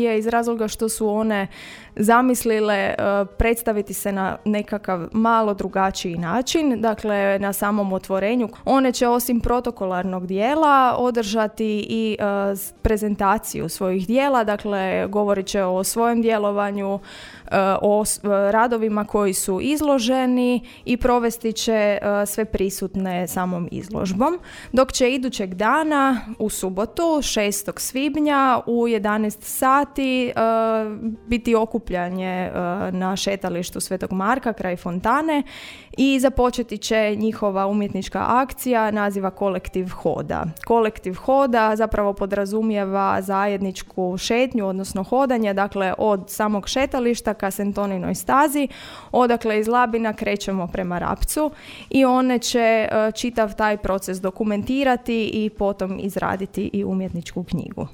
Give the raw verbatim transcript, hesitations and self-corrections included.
je iz razloga što su one zamislile uh, predstaviti se na nekakav malo drugačiji način. Dakle, na samom otvorenju one će osim protokolarnog dijela održati i uh, prezentaciju svojih dijela, dakle govorit će o svojem djelovanju, uh, o uh, radovima koji su izloženi i provesti će uh, sve prisutne samom izložbom, dok će idućeg dana u subotu šestog svibnja u jedanaest sati Uh, biti okupljanje uh, na šetalištu Svetog Marka kraj fontane i započeti će njihova umjetnička akcija naziva Kolektiv hoda. Kolektiv hoda zapravo podrazumijeva zajedničku šetnju, odnosno hodanje, dakle od samog šetališta ka Sentoninoj stazi, odakle iz Labina krećemo prema Rapcu i one će uh, čitav taj proces dokumentirati i potom izraditi i umjetničku knjigu.